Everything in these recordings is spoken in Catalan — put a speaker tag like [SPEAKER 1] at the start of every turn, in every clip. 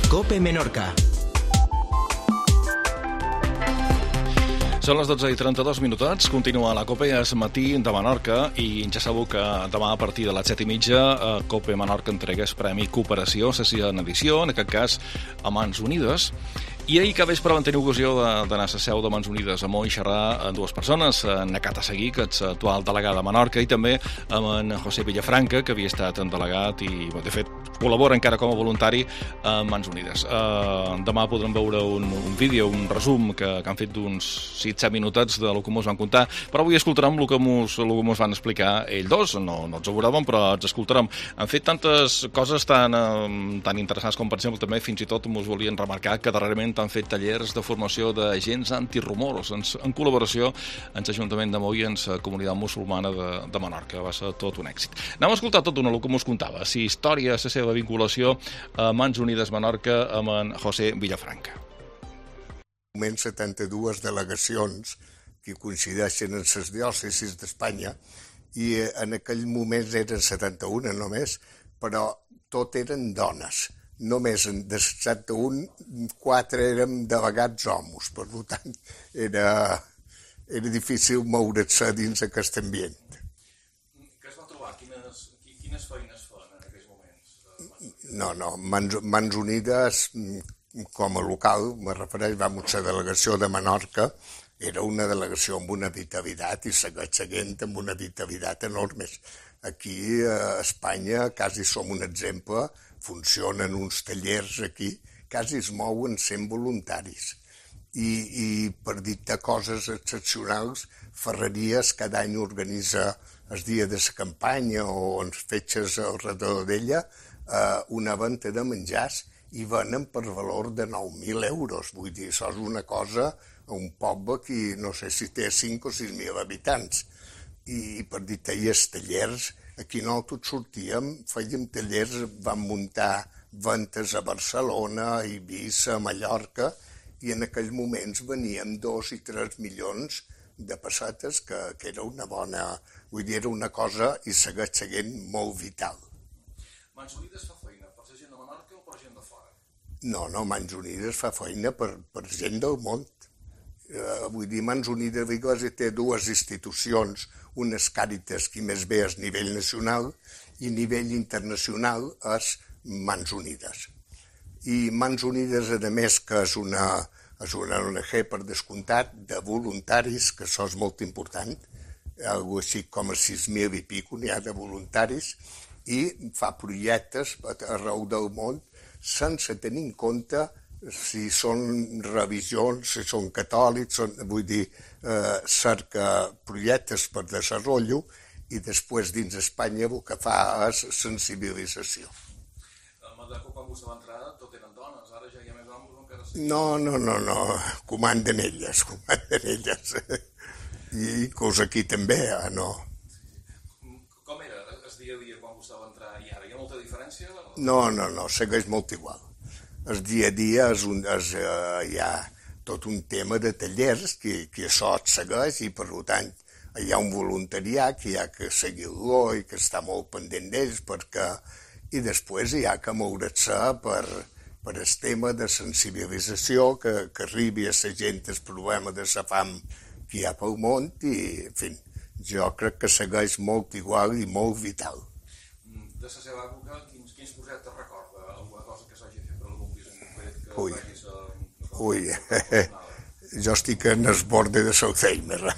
[SPEAKER 1] COPE Menorca.
[SPEAKER 2] Són les 12:32, continua la COPE, és matí de Menorca i ja sabeu que demà a partir de les 7:30 COPE Menorca entrega el Premi Cooperació, la sisena edició, en aquest cas a Mans Unides. I ahir que vespre vam tenir ocasió d'anar a la seu de Mans Unides a Mó i xerrar amb dues persones, en Cata Seguí, que és actual delegada a Menorca, i també amb en José Villafranca, que havia estat en delegat i, de fet, col·labora encara com a voluntari a Mans Unides. Demà podrem veure un vídeo, un resum que han fet d'uns 7 minutets del que ens van contar, però avui escoltarem el que ens van explicar ells dos, no els ho veurem, però els escoltarem. Han fet tantes coses tan interessants com, per exemple, també fins i tot ens volien remarcar que darrerament han fet tallers de formació d'agents antirumors en col·laboració amb l'Ajuntament de Mó i amb la comunitat musulmana de Menorca. Va ser tot un èxit. Anem a escoltar tot el que ens contava, la història, la seva vinculació a Mans Unides Menorca amb en José Villafranca.
[SPEAKER 3] 72 delegacions que coincideixen en les diòcesis d'Espanya i en aquell moment eren 71 només, però tot eren dones. Només de 71, 4 érem delegats homes, per tant era difícil moure's dins aquest ambient.
[SPEAKER 2] Què es va trobar? Quines feines fan en aquells moments?
[SPEAKER 3] No, Mans Unides, com a local, me refereix, vam ser delegació de Menorca, era una delegació amb una vitalitat i segueix seguint amb una vitalitat enorme. Aquí a Espanya quasi som un exemple, funcionen uns tallers aquí, quasi es mouen 100 voluntaris. I per dictar coses excepcionals, Ferreries cada any organitza el dia de la campanya o en fetges al redor d'ella una venda de menjars i venen per valor de 9.000 euros. Vull dir, això és una cosa a un poble que no sé si té 5 o 6.000 habitants. I per dir els tallers, aquí nosaltres sortíem, fèiem tallers, vam muntar ventes a Barcelona, a Eivissa, a Mallorca, i en aquells moments veníem 2 i 3 milions de pessetes, que era una bona... Vull dir, era una cosa i segueix seguint molt vital.
[SPEAKER 2] Mans Unides fa feina per la gent de Menorca o per gent de fora?
[SPEAKER 3] No, Mans Unides fa feina per gent del món. Vull dir, Mans Unides d'Església té dues institucions, unes Càritas que més bé és a nivell nacional i a nivell internacional és Mans Unides. I Mans Unides, a més, que és una ONG per descomptat de voluntaris, que això és molt important, algo així com a 6.000 i pico n'hi ha de voluntaris, i fa projectes arreu del món sense tenir en compte si són revisions, si són catòlics, vull dir, cerca projectes per desenvolupament i després dins Espanya el que fa és sensibilització.
[SPEAKER 2] A Menorca, quan vostè va entrar, tot eren dones, ara ja hi ha més homes o encara sí?
[SPEAKER 3] No, comanden elles. I inclús aquí també, no.
[SPEAKER 2] Com era el dia a dia quan vostè va entrar i ara? Hi ha molta diferència?
[SPEAKER 3] No, segueix molt igual. El dia a dia hi ha tot un tema de tallers que això et segueix i per tant hi ha un voluntariat que hi ha que seguir-lo i que està molt pendent d'ells i després hi ha que moure's per el tema de sensibilització que arribi a la gent el problema de la fam que hi ha pel món i, en fi, jo crec que segueix molt igual i molt vital.
[SPEAKER 2] De la seva època, quins projectes recorda? Alguna cosa que s'hagi fet per algun pis en concret que vegis...
[SPEAKER 3] Ui, jo estic en el borde de l'Alzheimer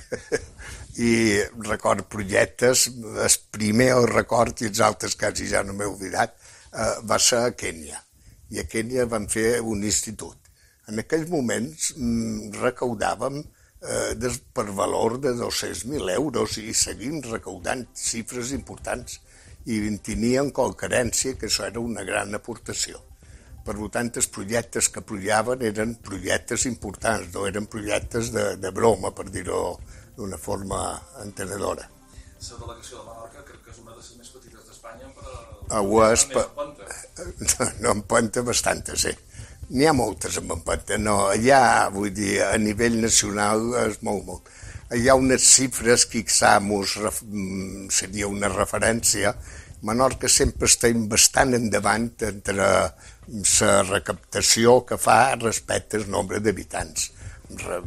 [SPEAKER 3] i record projectes, el primer el record i els altres quasi ja no m'he oblidat, va ser a Kènia. I a Kènia vam fer un institut. En aquells moments recaudàvem per valor de 200.000 euros i seguim recaudant xifres importants i teníem qualquerència que això era una gran aportació. Per tant, els projectes que apoyaven eren projectes importants, no eren projectes de broma, per dir-ho d'una forma entenedora.
[SPEAKER 2] La delegació de Menorca crec que és una de les més petites d'Espanya,
[SPEAKER 3] però... No, empenta bastantes, sí. N'hi ha moltes amb empenta, no, allà, vull dir, a nivell nacional és molt. Hi ha unes xifres que seria una referència. Menorca sempre està bastant endavant entre la recaptació que fa respecte al nombre d'habitants.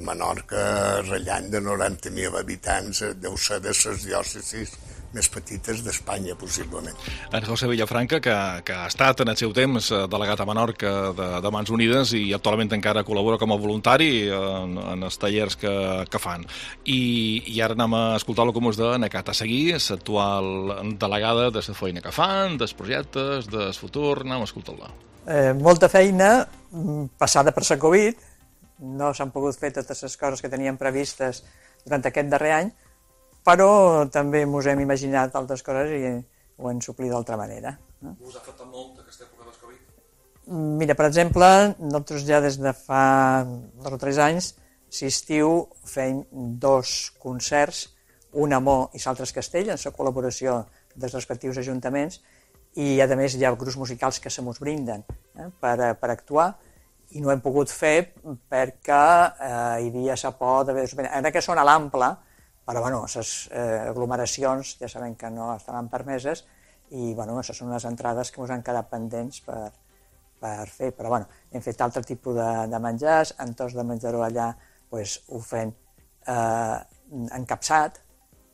[SPEAKER 3] Menorca, ratllant de 90.000 habitants, deu ser de les diòcesis més petites d'Espanya, possiblement.
[SPEAKER 2] En José Villafranca, que ha estat en el seu temps delegat a Menorca de Mans Unides i actualment encara col·labora com a voluntari en els tallers que fan. I ara anem a escoltar-lo com us de Necat a seguir, l'actual delegada de la feina que fan, dels projectes, del futur, anem a escoltar-la.
[SPEAKER 1] Molta feina, passada per la Covid, no s'han pogut fer totes les coses que teníem previstes durant aquest darrer any, però també ens hem imaginat altres coses i ho hem suplit d'altra manera.
[SPEAKER 2] Us ha afectat molt aquesta època del Covid?
[SPEAKER 1] Mira, per exemple, nosaltres ja des de fa 2 o 3 anys, si estiu, fem 2 concerts, un a Mo i l'altre a Castell, en la col·laboració dels respectius ajuntaments, i a més hi ha grups musicals que se mos brinden per actuar, i no hem pogut fer perquè hi havia la por d'haver... Ara que són a l'ample, però les aglomeracions ja sabem que no estaran permeses i aquestes són les entrades que ens han quedat pendents per fer. Però hem fet altre tipus de menjars, entorns de menjador allà ho fem encapçat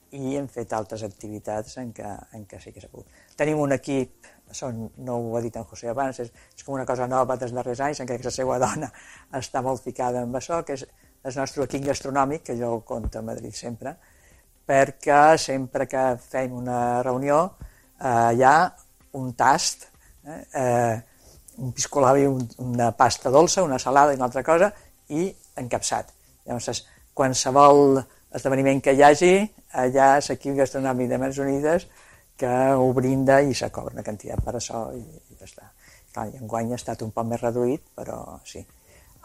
[SPEAKER 1] i hem fet altres activitats en què sí que s'ha pogut. Tenim un equip, no ho ha dit en José abans, és com una cosa nova dels darrers anys, encara que la seva dona està molt ficada en això, que és el nostre equip gastronòmic, que jo ho conto a Madrid sempre, perquè sempre que fem una reunió hi ha un tast, un piscolabri, una pasta dolça, una salada i una altra cosa, i encapçat. Llavors, qualsevol esdeveniment que hi hagi, allà és l'equip gastronòmic de Mans Unides que ho brinda i se cobra una quantitat per això i ja està. Clar, i enguany ha estat un poc més reduït, però sí.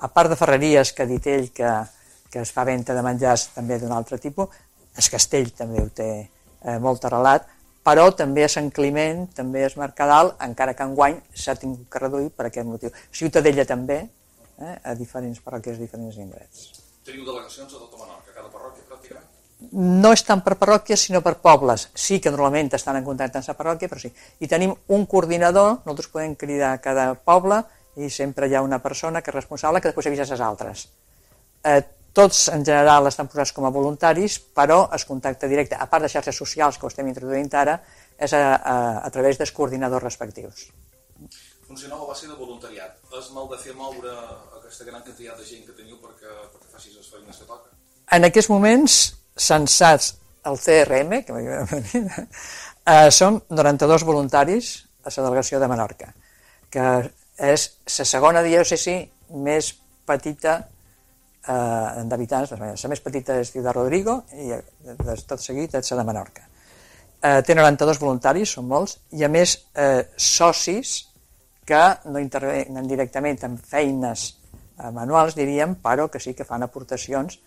[SPEAKER 1] A part de ferreries, que ha dit ell que es fa venda de menjars també d'un altre tipus, el Castell també ho té molt arrelat, però també a Sant Climent, també a Mercadal, encara que enguany s'ha tingut que reduir per aquest motiu. Ciutadella també, a diferents parròquies, diferents indrets.
[SPEAKER 2] Teniu delegacions a tota Menorca, cada parròquia pràcticament?
[SPEAKER 1] No estan per parròquies, sinó per pobles. Sí que normalment estan en contacte amb la parròquia, però sí. I tenim un coordinador, nosaltres podem cridar a cada poble i sempre hi ha una persona que és responsable que després avisa les altres. Tots en general estan posats com a voluntaris, però el contacte directe, a part de xarxes socials que ho estem introduint ara, és a través dels coordinadors respectius.
[SPEAKER 2] Funcioneu a base de voluntariat. És mal de fer moure aquesta gran quantitat de gent que teniu perquè facis les feines que toca?
[SPEAKER 1] En aquests moments, censats al CRM, som 92 voluntaris a la delegació de Menorca, que és la segona diòcesi més petita d'habitants. La més petita és Ciutat Rodrigo i tot seguit és la de Menorca. Té 92 voluntaris, són molts, i a més socis que no intervenen directament en feines manuals, diríem, però que sí que fan aportacions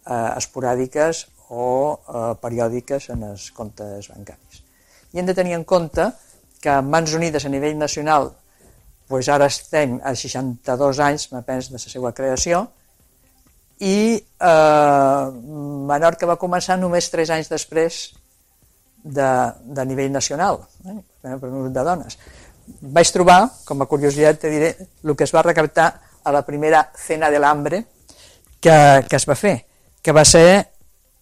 [SPEAKER 1] esporàdiques o periòdiques en els comptes bancaris. I hem de tenir en compte que Mans Unides a nivell nacional, ara estem a 62 anys, me penso, de la seva creació, i Menorca va començar només 3 anys després de nivell nacional, per un grup de dones. Vaig trobar, com a curiositat, te diré, el que es va recaptar a la primera Cena de l'Hambre que es va fer, que va ser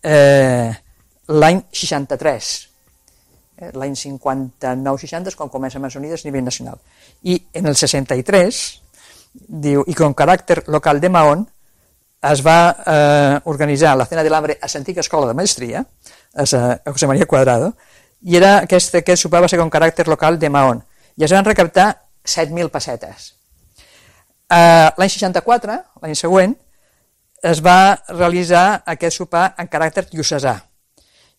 [SPEAKER 1] l'any 63. L'any 59-60 és quan comença Mans Unides a nivell nacional. I en el 63, diu, i con caràcter local de Mahón, es va organitzar la Cena de l'Hambre a l'antiga escola de maestria, a José María Cuadrado, i aquest sopar va ser con caràcter local de Mahón, i es van recaptar 7.000 pessetes. L'any 64, l'any següent, es va realitzar aquest sopar en caràcter diocesà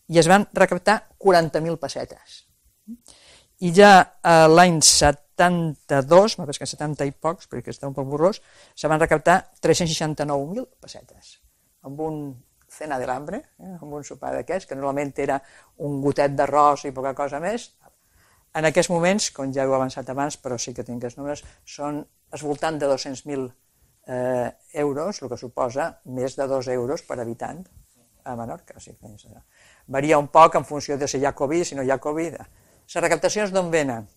[SPEAKER 1] i es van recaptar 40.000 pessetes. I ja l'any 72, m'ha que 70 i pocs, perquè està un poc borrós, se van recaptar 369.000 pessetes, amb un Cena de l'Hambre, amb un sopar d'aquests, que normalment era un gotet d'arròs i poca cosa més. En aquests moments, com ja heu avançat abans, però sí que tinc els números, són al voltant de 200.000 euros, el que suposa més de 2 euros per habitant a Menorca. Varia un poc en funció de si hi ha Covid, si no hi ha Covid. Les recaptacions d'on venen?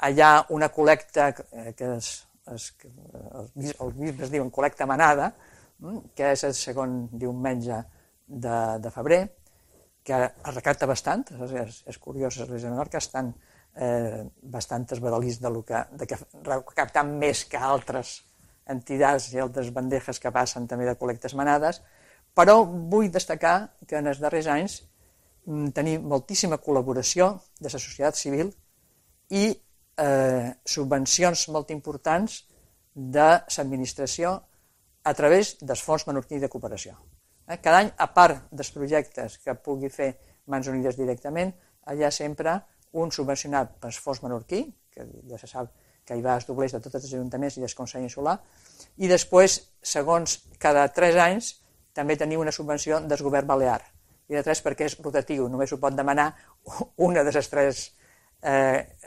[SPEAKER 1] Hi ha una col·lecta que els bisbes diuen col·lecta manada, que és el segon diumenge de febrer, que es recapta bastant, és curiós, l'Església de Menorca estan bastant esbadalits de que recapten més que altres entitats i altres bandejes que passen també de col·lectes manades, però vull destacar que en els darrers anys tenim moltíssima col·laboració de la societat civil i subvencions molt importants de l'administració a través dels fons menorquí de cooperació. Cada any, a part dels projectes que pugui fer Mans Unides directament, hi ha sempre un subvencionat pel fons menorquí, que ja se sap que hi va els doblers de tots els ajuntaments i del Consell Insular, i després, segons cada 3 anys, també tenim una subvenció del govern balear. I de 3 perquè és rotatiu, només ho pot demanar una de les 3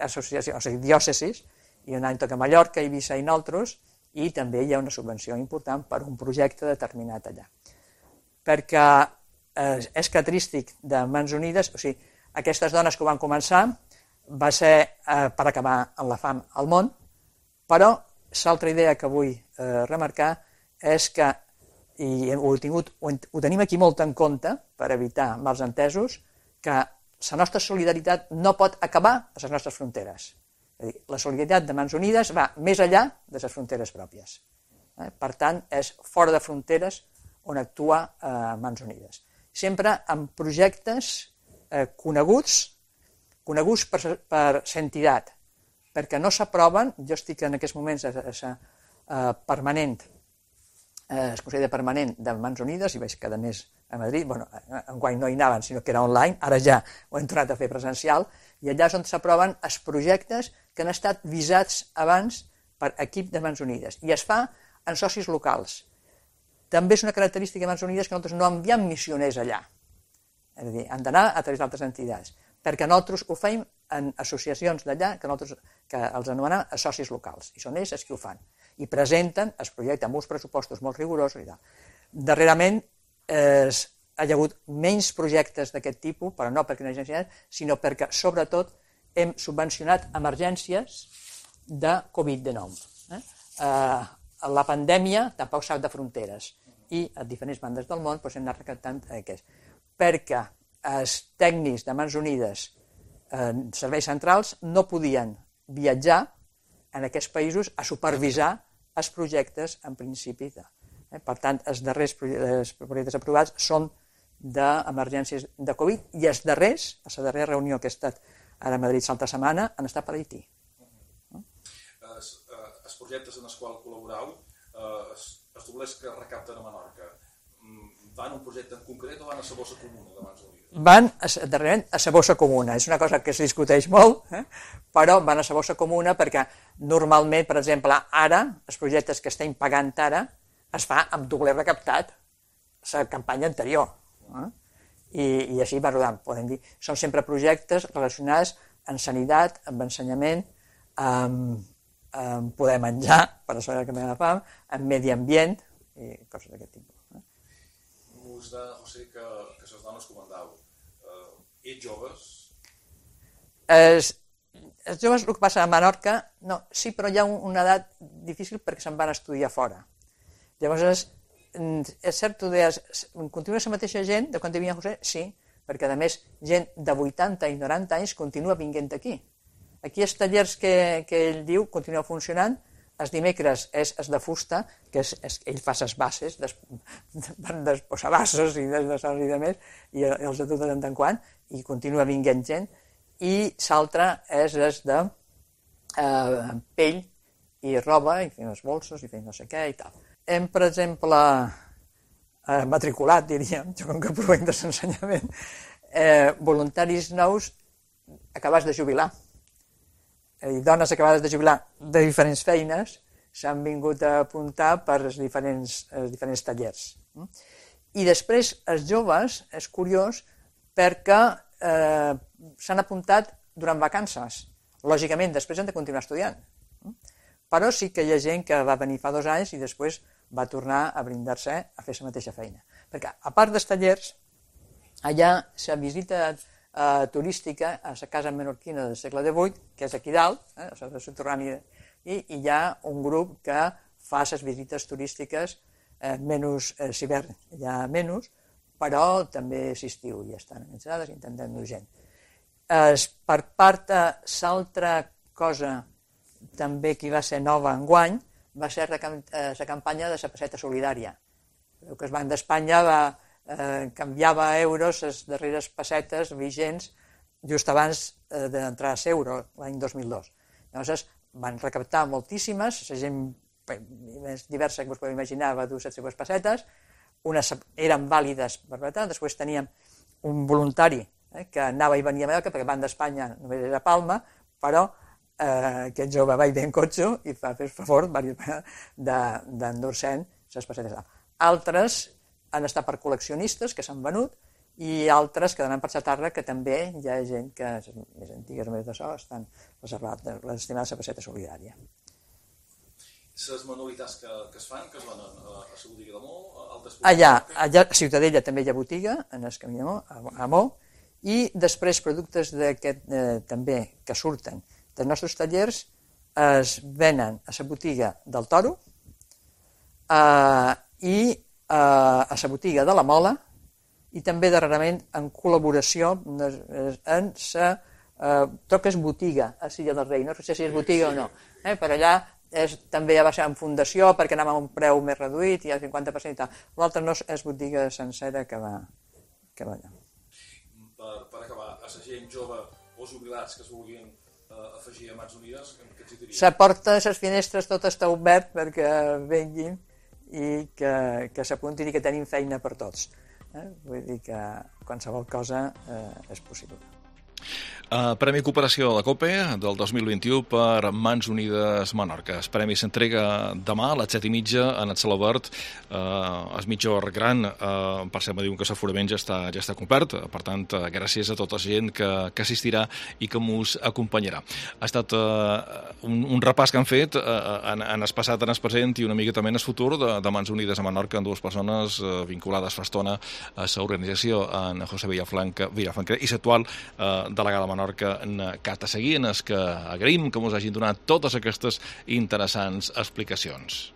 [SPEAKER 1] associacions, o sigui, diòcesis, i un any toca Mallorca, Eivissa i nosaltres, i també hi ha una subvenció important per un projecte determinat allà. Perquè és característic de Mans Unides, o sigui, aquestes dones que ho van començar va ser per acabar amb la fam al món, però l'altra idea que vull remarcar és que, i ho tenim aquí molt en compte per evitar mals entesos, que la nostra solidaritat no pot acabar a les nostres fronteres. És a dir, la solidaritat de Mans Unides va més enllà de les fronteres pròpies. Per tant, és fora de fronteres on actua Mans Unides. Sempre amb projectes coneguts per l'entitat, perquè no s'aproven. Jo estic en aquests moments permanent, el Consell de Permanent de Mans Unides, i veig cada mes a Madrid, enguany no hi anaven, sinó que era online, ara ja ho hem tornat a fer presencial, i allà és on s'aproven els projectes que han estat visats abans per equip de Mans Unides, i es fa en socis locals. També és una característica de Mans Unides que nosaltres no enviem missioners allà, és a dir, han d'anar a través d'altres entitats, perquè nosaltres ho fem en associacions d'allà que els anomenem socis locals, i són ells els que ho fan, i presenten el projecte amb uns pressupostos molt rigorosos i tal. Darrerament hi ha hagut menys projectes d'aquest tipus, però no perquè no hi hagi necessitat, sinó perquè, sobretot, hem subvencionat emergències de Covid-19. La pandèmia tampoc sap de fronteres, i a diferents bandes del món hem anat recaptant aquests, perquè els tècnics de Mans Unides, serveis centrals, no podien viatjar en aquests països a supervisar els projectes en principi. Per tant, els darrers projectes aprovats són d'emergències de Covid, i els darrers, a la darrera reunió que he estat ara a Madrid l'altra setmana, han estat per Haití.
[SPEAKER 2] Els projectes en els quals col·laboreu, els doblers que recapten a Menorca, van a un projecte en concret o van a la bossa comuna de Mans Unides?
[SPEAKER 1] Van darrerament a la bossa comuna. És una cosa que es discuteix molt, però van a la bossa comuna perquè normalment, per exemple, ara, els projectes que estem pagant ara, es fa amb dobler recaptat la campanya anterior. I així va rodant, podem dir. Són sempre projectes relacionats amb sanitat, amb ensenyament, amb poder menjar, per això que m'he de fam, amb medi ambient i coses d'aquest tipus.
[SPEAKER 2] Us de, José, que les dones comandau, ets joves?
[SPEAKER 1] Els joves, el que passa a Menorca, no, sí, però hi ha una edat difícil perquè se'n van estudiar fora. Llavors, és cert, tu deies, continua la mateixa gent de quan hi havia José? Sí, perquè a més gent de 80 i 90 anys continua vinguent aquí. Aquí els tallers que ell diu continuen funcionant. Els dimecres és el de fusta, que ell fa les bases, dels posabassos i de més, i els atura de tant en quant, i continua vinguent gent. I l'altre és el de pell i roba, i fent els bolsos, i fent no sé què i tal. Hem, per exemple, matriculat, diríem, jo com que provenc de l'ensenyament, voluntaris nous acabats de jubilar. Dones acabades de jubilar de diferents feines s'han vingut a apuntar per als diferents tallers. I després els joves, és curiós, perquè s'han apuntat durant vacances. Lògicament, després han de continuar estudiant. Però sí que hi ha gent que va venir fa 2 anys i després va tornar a brindar-se a fer la mateixa feina. Perquè, a part dels tallers, allà la visita turística a la casa menorquina del segle XVIII, que és aquí dalt, a la subterrània i hi ha un grup que fa les visites turístiques menys, si hivern hi ha menys, però també l'estiu hi estan organitzades, intentem dur gent. Per part de l'altra cosa també que va ser nova enguany va ser la campanya de la pesseta solidària. El que el Banc d'Espanya canviava a euros les darreres pessetes vigents just abans d'entrar a l'euro, l'any 2002. Llavors van recaptar moltíssimes, la gent més diversa que us podeu imaginar va dur les seves pessetes, unes eren vàlides per veure, després teníem un voluntari que anava i venia a Mallorca, perquè el Banc d'Espanya només era a Palma, però aquest jove va bé en cotxe i va fer el favor d'endur-se'n les pessetes. Altres han estat per col·leccionistes que s'han venut i altres que donen per xatarra, que també hi ha gent que, més antigues més d'això, estan reservades l'estimada la pesseta solidària.
[SPEAKER 2] Les manualitats que es fan, que es van a la botiga de Mó?
[SPEAKER 1] Allà a Ciutadella també hi ha botiga, en el camí a Mó, i després productes també que surten dels nostres tallers es venen a la botiga del Toro i a la botiga de la Mola i també darrerament en col·laboració en la tot que és botiga a Silla del Rei, no sé si és botiga o no, per allà també va ser en fundació perquè anàvem a un preu més reduït i al 50% i tal. L'altre no és botiga sencera que va allà.
[SPEAKER 2] Per acabar, a la gent jove o jubilats que es vulguin afegir a Mans Unides, què els diria?
[SPEAKER 1] La porta, les finestres, tot està obert perquè venguin i que s'apuntin i que tenim feina per tots. Vull dir que qualsevol cosa és possible.
[SPEAKER 2] Premi Cooperació de la COPE del 2021 per Mans Unides Menorca. El premi s'entrega demà a les 7:30 en el Celobert. El mitjor gran, per cert, me diuen que l'aforament ja està complert, per tant, gràcies a tota la gent que assistirà i que mos acompanyarà. Ha estat un repàs que han fet en el passat, en el present i una mica també en el futur de Mans Unides a Menorca, amb dues persones vinculades fa estona a l'organització, en José Villafranca i l'actual delegada de Menorca en Cata Seguí, en el que agraïm que ens hagin donat totes aquestes interessants explicacions.